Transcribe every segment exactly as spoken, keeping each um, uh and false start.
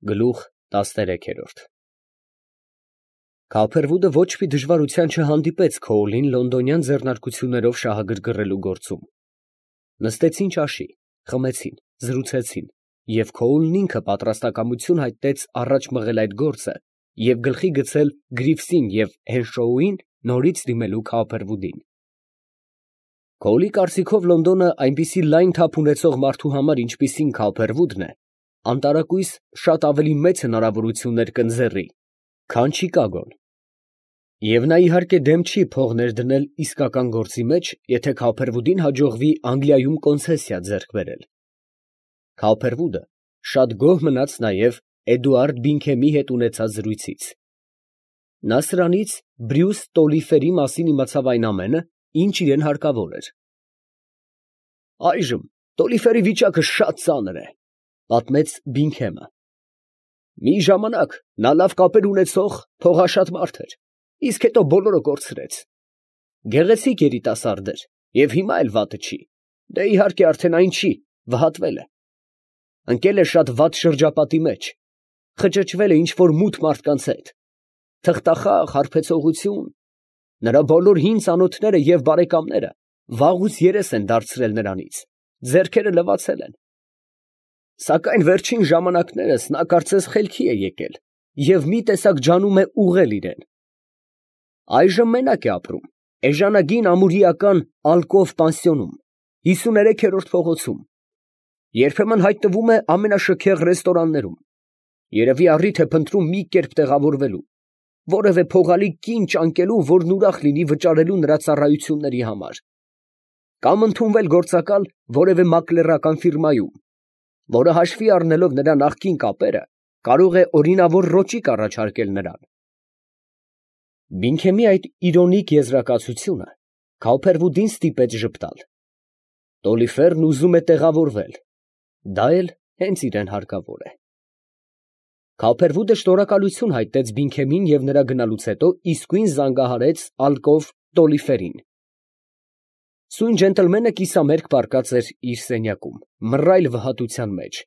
Գլուխ տասներեքերորդ Քալփերվուդը ոչ մի դժվարության չհանդիպեց Քոուլին լոնդոնյան ձեռնարկություններով շահագրգռելու գործում. նստեցին ճաշի, խմեցին, զրուցեցին, և Քոուլն ինքը պատրաստակամություն հայտնեց առաջ մղել այդ գործը և գլխի գցել Գրիվսին և Հենշոուին նորից դիմելու Քալփերվուդին։ Քոուլի կարծիքով Լոնդոնը այնպիսի լայն թափ ունեցող մարդու համար, ինչպիսին Քալփերվուդն է, անտարակույս շատ ավելի մեծ հնարավորություններ կընձեռի, քան Չիկագոն, և նա իհարկե դեմ չի փող ներդնել իսկական գործի մեջ, եթե Քալփերվուդին հաջողվի Անգլիայում կոնցեսիա ձեռք բերել։ Քալփերվուդը շատ գոհ մնաց նաև Էդուարդ Բինքհեմի հետ ունեցած զրույցից. նա սրանից Բրյուս Տոլիֆերի մասին իմացավ այն ամենը, ինչ իրան հարկավոր էր։ «Այժմ Տոլիֆերի վիճակը շատ ծանր է, ֊ պատմեց Բինքհեմը։ Մի ժամանակ նա լավ կապեր ունեցող, փողաշատ մարդ էր, իսկ հետո բոլորը կորցրեց։ Գեղեցիկ երիտասարդ էր և հիմա էլ վատը չի, դե իհարկե արդեն այն չի, վհատվել է։ Ընկել է շատ վատ շրջապատի մեջ, խճճվել է ինչ֊որ մութ մարդկանց հետ, թղթախաղ, հարբեցողություն, նրա բոլոր հին ծանոթները և բարեկամները վաղուց երես են դարձրել նրանից, ձեռքերը լվացել են։ Սակայն վերջին ժամանակներս նա կարծես խելքի է եկել և մի տեսակ ջանում է ուղղել իրան։ Այժմ մենակ է ապրում էժանագին ամուրիական ալկով պանսիոնում, հիսուներեքերորդ փողոցում, երբեմն հայտնվում է ամենաշքեղ ռեստորաններում, երևի առիթ է փնտրում մի կերպ տեղավորվելու, որևէ փողալի կին ճանկելու, որն ուրախ լինի վճարելու նրա ծառայությունների համար, կամ ընդունվել գործակալ որևէ մակլերական ֆիրմայում, որը հաշվի առնելով նրա նախկին կապերը, կարող է օրինավոր ռոճիկ առաջարկել նրան։ Բինքհեմի այդ իրոնիկ եզրակացությունը Քալփերվուդին ստիպեց ժպտալ։ Տոլիֆերն ուզում է տեղավորվել, դա էլ հենց իրան հարկավոր է։ Քալփերվուդը շնորհակալություն հայտնեց Բինքհեմին և նրա գնալուց հետո իսկույն զանգահարեց ալկով Տոլիֆերին։ Սույն ջենտլմենը կիսամերկ պառկած էր իր սենյակում, մռայլ վհատության մեջ,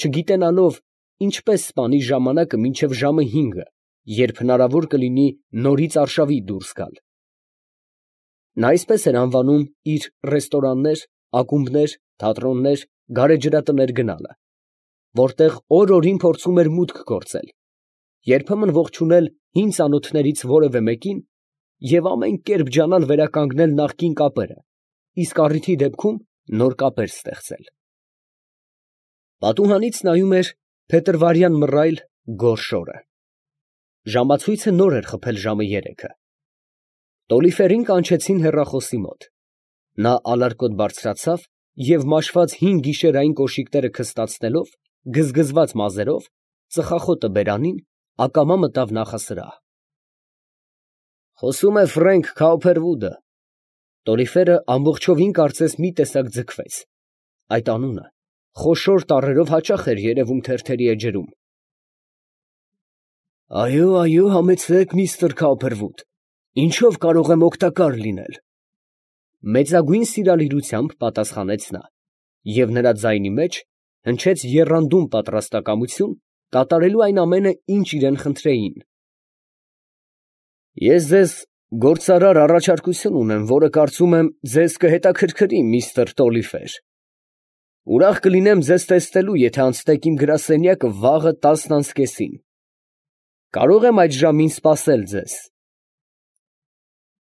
չգիտենալով ինչպես սպանի ժամանակը մինչև ժամը հինգը, երբ հնարավոր կլինի նորից արշավի դուրս գալ։ Նա այսպես էր անվանում իր ռեստորաններ, ակումբներ, թատրոններ, գարեջրատներ գնալը, որտեղ օր֊օրին փորձում էր մուտք գործել, երբեմն ողջունել հին ծանոթներից որևէ մեկին և ամեն կերպ ջանալ վերականգնել նախկին կապերը, իսկ առիթի դեպքում նոր կապեր ստեղծել։ Պատուհանից նայում էր փետրվարյան մռայլ, գորշ օրը։ Ժամացույցը նոր էր խփել ժամը երեքը։ Տոլիֆերին կանչեցին հեռախոսի մոտ։ Նա ալարկոտ բարձրացավ և մաշված հին գիշերային կոշիկները քստացնելով, գզգզված մազերով, ծխախոտը բերանին, ակամա մտավ նախասրահ։ Խոսում է Ֆրենք Քալփերվուդը։ Տոլիֆերը ամբողջովին կարծես մի տեսակ ձգվեց։ Այդ անունը խոշոր տառերով հաճախ էր երևում թերթերի էջերում։ Այո, այո, համեցեք, միստր Քալփերվուդ, ինչով կարող եմ օգտակար լինել։ Մեծագույն սիրալիրությամբ պատասխանեց նա, և նրա ձայնի մեջ հնչեց եռանդուն պատրաստակամություն կատարելու այն ամենը, ինչ իրան խնդրեին։ Ես ձեզ գործարար առաջարկություն ունեմ, որը կարծում եմ ձեզ կհետաքրքրի, միստր Տոլիֆեր։ Ուրախ կլինեմ ձեզ տեսնելու, եթե անցնեք իմ գրասենյակը վաղը տասն անց կեսին։ Կարո՞ղ եմ այդ ժամին սպասել ձեզ։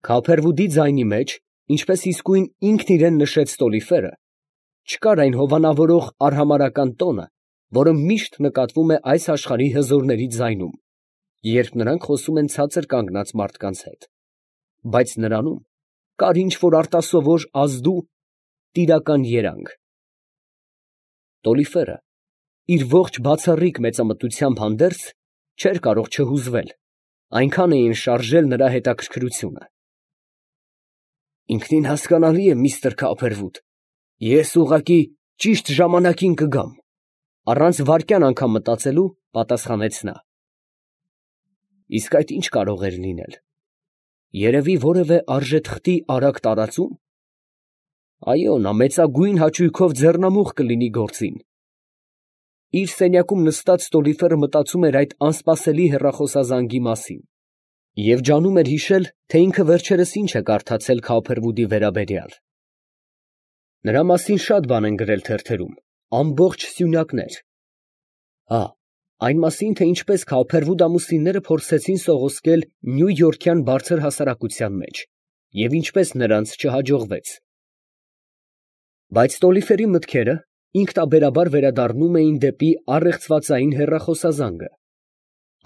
Քալփերվուդի ձայնի մեջ, ինչպես իսկույն ինքն իրան նշեց Տոլիֆերը, չկար այն հովանավորող արհամարհական տոնը, որը միշտ նկատվում է այս աշխարհի հզորների ձայնում, երբ նրանք խոսում են ցածր կանգնած մարդկանց հետ, բայց նրանում կար ինչ֊որ արտասովոր ազդու, տիրական երանգ։ Տոլիֆերը իր ողջ բացառիկ մեծամտությամբ հանդերձ չէր կարող չհուզվել, այնքան էին շարժել նրա հետաքրքրությունը։ Ինքնին հասկանալի է, միստր Քալփերվուդ, ես ուղղակի ճիշտ ժամանակին կգամ, առանց վայրկյան անգամ մտածելու պատասխանեց նա։ Իսկ այդ ի՞նչ կարող էր լինել։ Երևի որևէ արժեթղթի արագ տարածու՞մ։ Այո, նա մեծագույն հաճույքով ձեռնամուխ կլինի գործին։ Իր սենյակում նստած Ստոլիֆերը մտածում էր այդ անսպասելի հեռախոսազանգի մասին և ջանում էր հիշել, թե ինքը վերջերս ինչ է կարդացել Քոփերվուդի վերաբերյալ. նրա մասին շատ բան են գրել թերթերում, ամբողջ սյունակներ. հա, այն մասին, թե ինչպես Քոփերվուդ ամուսինները փորձեցին սողոսկել նյույորքյան բարձր հասարակության մեջ և ինչպես նրանց չհաջողվեց. բայց Ստոլիֆերի մտքերը ինքնաբերաբար վերադառնում էին դեպի առեղծվածային հեռախոսազանգը,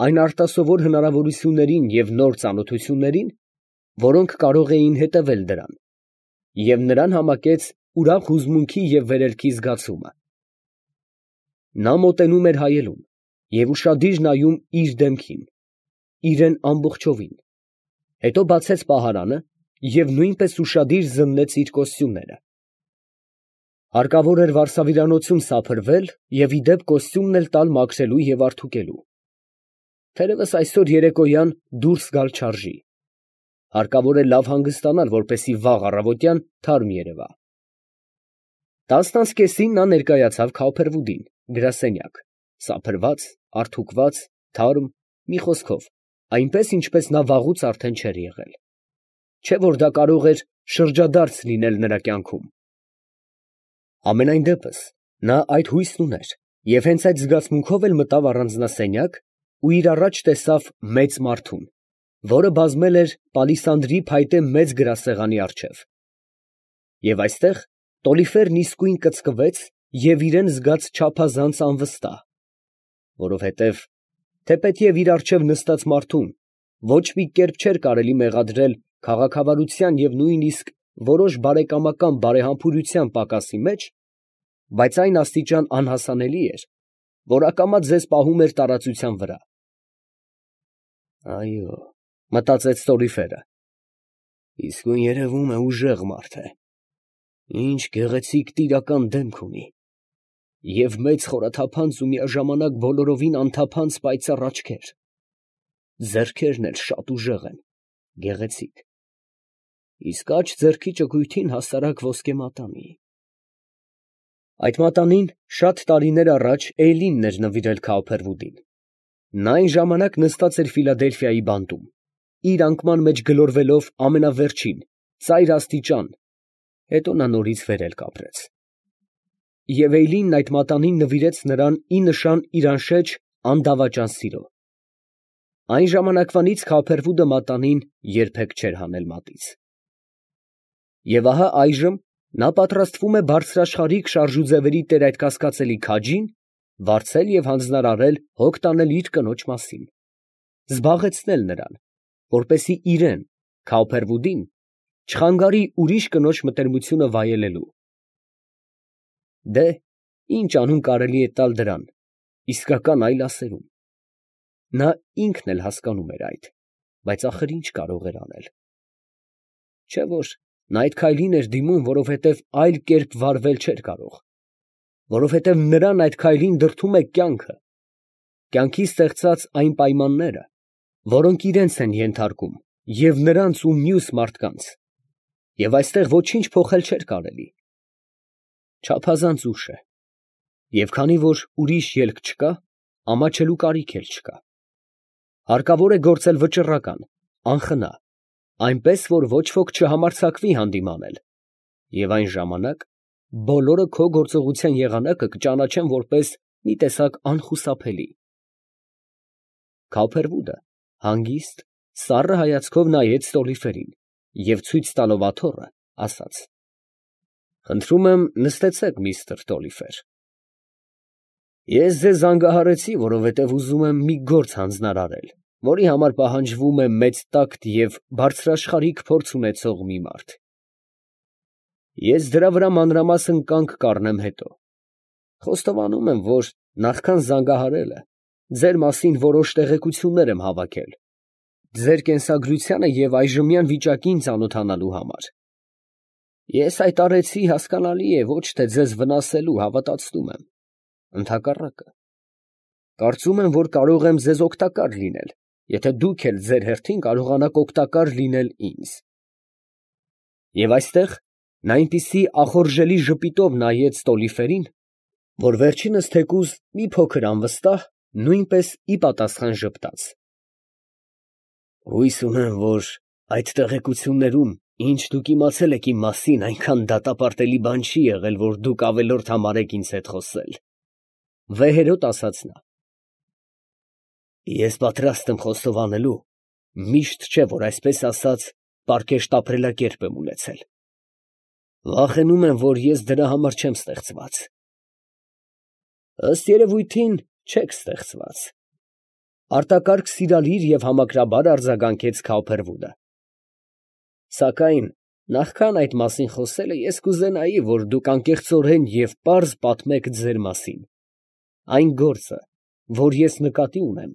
այն արտասովոր հնարավորություններին և նոր ծանոթություններին, որոնք կարող էին հետևել դրան, և նրան համակեց ուրախ հուզմունքի և վերելքի զգացումը։ Նա մոտենում էր հայելուն և ուշադիր նայում իր դեմքին, իրան ամբողջովին, հետո բացեց պահարանը և նույնպես ուշադիր զննեց իր կոստյումները։ Հարկավոր էր վարսավիրանոցում սափրվել և ի դեպ կոստյումն էլ տալ մաքրելու և արդուկելու։ Թերևս այսօր երեկոյան դուրս գալ չարժի. հարկավոր է լավ հանգստանալ, որպեսզի վաղ առավոտյան թարմ երևա։ Տասն անց կեսին նա ներկայացավ Քոփերվուդին գրասենյակ, սափրված, արդուկված, թարմ, մի խոսքով, այնպես, ինչպես նա վաղուց արդեն չէր եղել, չէ՞ որ դա կարող էր շրջադարձ լինել նրա կյանքում։ Համենայն դեպս, նա այդ հույսն ուներ և հենց այդ զգացմունքով էլ մտավ առանձնասենյակ ու իր առաջ տեսավ մեծ մարդուն, որը բազմել էր պալիսանդրի փայտե մեծ գրասեղանի առջև։ Եվ այստեղ Ստոլիֆերն իսկույն կծկվեց և իրան զգաց չափազանց անվստահ, որովհետև, թեպետև իր առջև նստած մարդուն ոչ մի կերպ չէր կարելի մեղադրել քաղաքավարության և նույնիսկ որոշ բարեկամական բարեհամբուրության պակասի մեջ, բայց այն աստիճան անհասանելի էր, որ ակամա ձեզ պահում էր տարածության վրա։ «Այո», մտածեց Ստոլիֆերը, «իսկույն երևում է ուժեղ մարդ է, ինչ գեղեցիկ տիրական դեմք ունի, և մեծ խորաթափանց ու միաժամանակ բոլորովին անթափանց պայծառ աչքեր, ձեռքերն էլ շատ ուժեղ են, գեղեցիկ, իսկ աջ ձեռքի ճկույթին հասարակ ոսկե մատանի»։ Այդ մատանին շատ տարիներ առաջ Էյլինն էր նվիրել Քոփերվուդին. նա այն ժամանակ նստած էր Ֆիլադելֆիայի բանտում, իր անկման մեջ գլորվելով ամենավերջին, ծայր աստիճան, հետո նա նորից վերել կապրեց։ Եվ Էյլինն այդ մատանին նվիրեց նրան ի նշան իր անշեջ, անդավաճան սիրո։ Այն ժամանակվանից Քոփերվուդը մատանին երբեք չէր հանել մատից։ Եվ ահա այժմ նա պատրաստվում է բարձրաշխարհիկ շարժուձևերի տեր այդ կասկածելի քաջին վարձել և հանձնարարել հոգ տանել իր կնոջ մասին, զբաղեցնել նրան, որպեսզի իրան, Քոփերվուդին, չխանգարի ուրիշ կնոջ մտերմությունը վայելելու։ Դե, ի՞նչ անուն կարելի է տալ դրան, իսկական այլ ասերում։ Նա ինքն էլ հասկանում էր այդ, բայց ախր ինչ կարող էր անել։ Չէ՞ որ նա այդ քայլին էր դիմում, որովհետև այլ կերպ վարվել չէր կարող, որովհետև նրան այդ քայլին դրդում է կյանքը, կյանքի ստեղծած այն պայմանները, որոնք իրանց են ենթարկում և նրանց ու մյուս մարդկանց, և այստեղ ոչինչ փոխել չէր կարելի։ Չափազանց ուշ է, և քանի որ ուրիշ ելք չկա, ամաչելու կարիք էլ չկա։ Հարկավոր է գործել վճռական, անխնա, այնպես, որ ոչ ոք չհամարձակվի հանդիմանել, և այն ժամանակ բոլորը քո գործողության եղանակը կճանաչեն որպես մի տեսակ անխուսափելի։ Քոփերվուդը հանգիստ, սառը հայացքով նայեց Ստոլիֆերին և ցույց տալով աթոռը, ասաց. «Խնդրում եմ, նստեցեք, միստր Ստոլիֆեր. ես ձեզ զանգահարեցի, որովհետև ուզում եմ մի գործ հանձնարարել, որի համար պահանջվում է մեծ տակտ և բարձրաշխարհիկ փորձ ունեցող մի մարդ։ Ես դրա վրա մանրամասն կանգ կառնեմ հետո. խոստովանում եմ, որ նախքան զանգահարելը ձեր մասին որոշ տեղեկություններ եմ հավաքել, ձեր կենսագրությանը և այժմյան վիճակին ծանոթանալու համար։ Ես այդ արեցի, հասկանալի է, ոչ թե ձեզ վնասելու, հավատացնում եմ, ընդհակառակը, կարծում եմ, որ կարող եմ ձեզ օգտակար լինել, եթե դուք էլ ձեր հերթին կարողանաք օգտակար լինել ինձ։ Եվ այստեղ նա այնպիսի ախորժելի ժպիտով նայեց Ստոլիֆերին, որ վերջինս թեկուզ մի փոքր անվստահ, նույնպես ի պատասխան ժպտաց. Հույս ունեմ, որ այդ տեղեկություններում, ինչ դուք իմացել եք իմ մասին, այնքան դատապարտելի բան չի եղել, որ դուք ավելորդ համարեք ինձ հետ խոսել, ֊ վեհերոտ ասաց նա. ես պատրաստ եմ խոստովանելու, միշտ չէ, որ այսպես ասած, պարկեշտապրելակերպ եմ ունեցել, վախենում եմ, որ ես դրա համար չեմ ստեղծված։ Ըստ երևույթին, չեք ստեղծված, ֊ արտակարգ սիրալիր և համակրաբար արձագանքեց Քավոփերվուդը։ Սակայն նախքան այդ մասին խոսելը, ես կուզենայի, որ դուք անկեղծորեն և պարզ պատմեք ձեր մասին. այն գործը, որ ես նկատի ունեմ,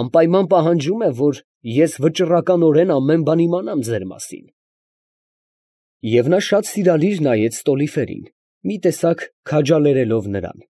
անպայման պահանջում է, որ ես վճռականորեն ամեն բան իմանամ ձեր մասին։ Եվ նա շատ սիրալիր նայեց Ստոլիֆերին, մի տեսակ քաջալերելով նրան։